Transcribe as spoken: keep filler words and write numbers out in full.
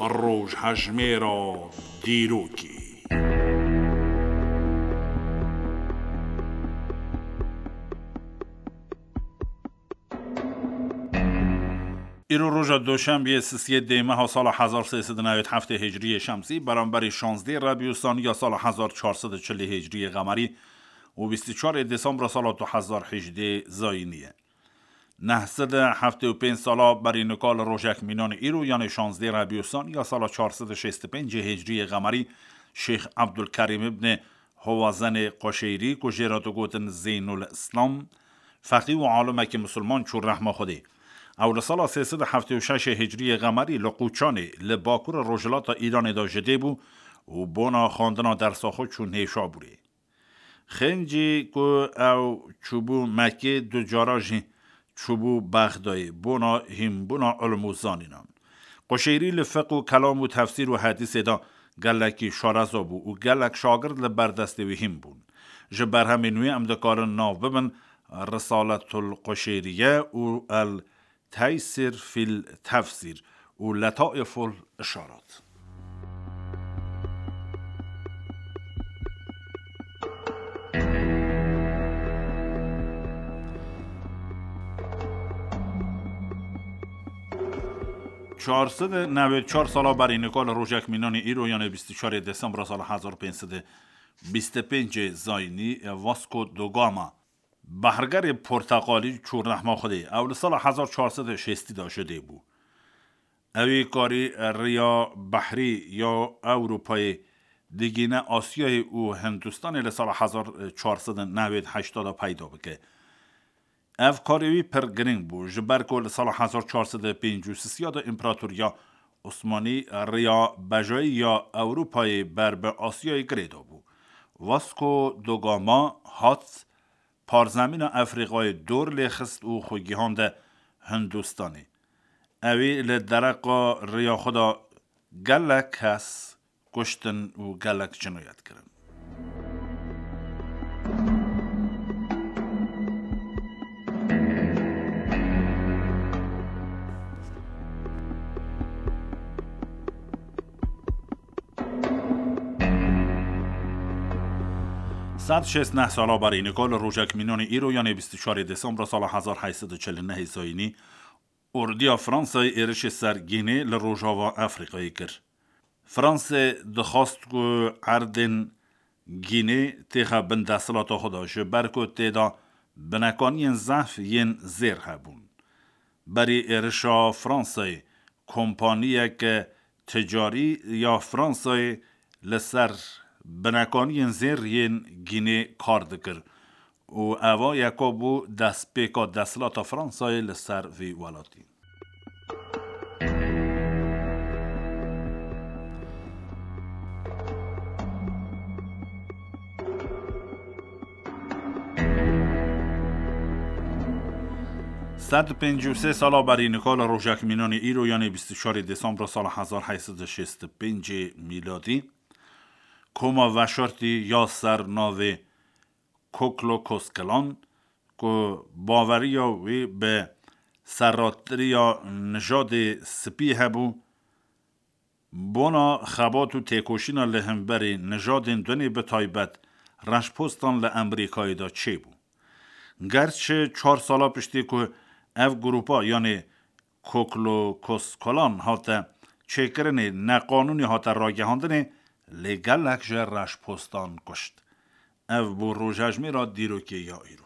Rojhejmêra dîrokê. Îro roja doşembiyê sisiyê dêmeha sala hezar sê sed û newêd heftê hicriyê şemsî, beramberî şazdê rebî û saniya sala hezar çar sed û çilî hicriyê qemerî û bîst û çarê desembra sala du hezar hejdê zayînî ye. Neh sed û heftê û pênc sala berî nika li rojek mînanê îro, yanê şazdê rebî û saniya sala çar sed û şêst û pêncê hicriyê qemerî, Şêx Ebdulkerîm ibnê Howazenê Qoşeyrî, ku jê re digotin Zeynul Îslam, feqî û alimekî misilman çû rehma Xwedê. Ew li sala sê sed û heftê û şeş hicriyê qemerî li Qûçanê, li bakurê rojhilata Îranê de ji dê bû û bona xwendina dersa xwe çû Nêşabûrê. Xêncî ku ew çûbû Mekkê, du cara jî çûbû Bexdayê, bona hînbûna ilm û zanînan. Quşêrî li fiq û kelam û tefsîr û hedîsê de gelekî şareza bû û gelek şagird li ber destê wî hîn bûn. Ji berhemên wî em dikarin nav bibin Risaletul Quşêriye û El Teysîr fîl Tefsîr û Letaîful Îşarat. Çar sed û newêd çar sala berî nika li rojek mînanê îro, yanê bîst û çarê desembra sala hezar pênc sed û bîst û pêncê zayînî, Vasco da Gama, behrgerê porteqalî, çû rehma Xwedê. Ew li sala hezar çar sed û şêstî de ji dê bû. Ewî karî riya behrî ya Ewropayê digîne Asyayê û Hindistanê li sala hezar çar sed û newêd heşta de peyda bike. Ev karê wî pir girîng bû, ji ber ku li sala hezar çar sed û pêncî û sisiya de Împaratoriya Osmanî riya bejayî ya Ewropayê ber bi Asyayê girêdabû. Vasco da Gama hat parzemîna Efrîqayê dor lê xist û xwe gihande Hindistanê. Ewî li dereqa riya xwe de gelek kes kuştin û gelek cinoyet kirin. Sed şêst neh sala berî nika li rojek mînanê îro, yanê bîst û çarê desembra sala hezar heyt sed û çil û nehê zayînî, ordiya Fransayê êrişê ser Gînê li rojava Efrîqayê kir. Fransê dixwast ku erdên Gînê têxe bin desthilata xwe de, ji ber ku tê de binekaniyên zehf yên zêr hebûn. Berî êrişa Fransayê, kompaniyeke ticarî ya Fransayê li ser binekaniyên zêr yên Gînê kar dikir û eva yeka bû destpêka desthilata Fransayê li ser vî welatî. Sed û pêncî û sê sala berî nika li rojek mînanê îro, yanê bîst û çarê desembra sala hezar heyt sed û şêst û pêncê mîladî, koma veşartî ya ser navê Ku Klux Klan, ku baweriya wî bi serratiriya nijadê spî hebû, bona xebat û têkoşîna li hemberî nijadên dunê, bi taybet reşpostan li Amerîkayê de çêbû. Gerçi çar sala piştî ku ev grûpa, yanê Ku Klux Klan hate çêkirinê, neqanûnî hate ragihandinê, lê gelek ji reşpostan kuşt. Ev bû rojhejmêra dîrokê ya îro.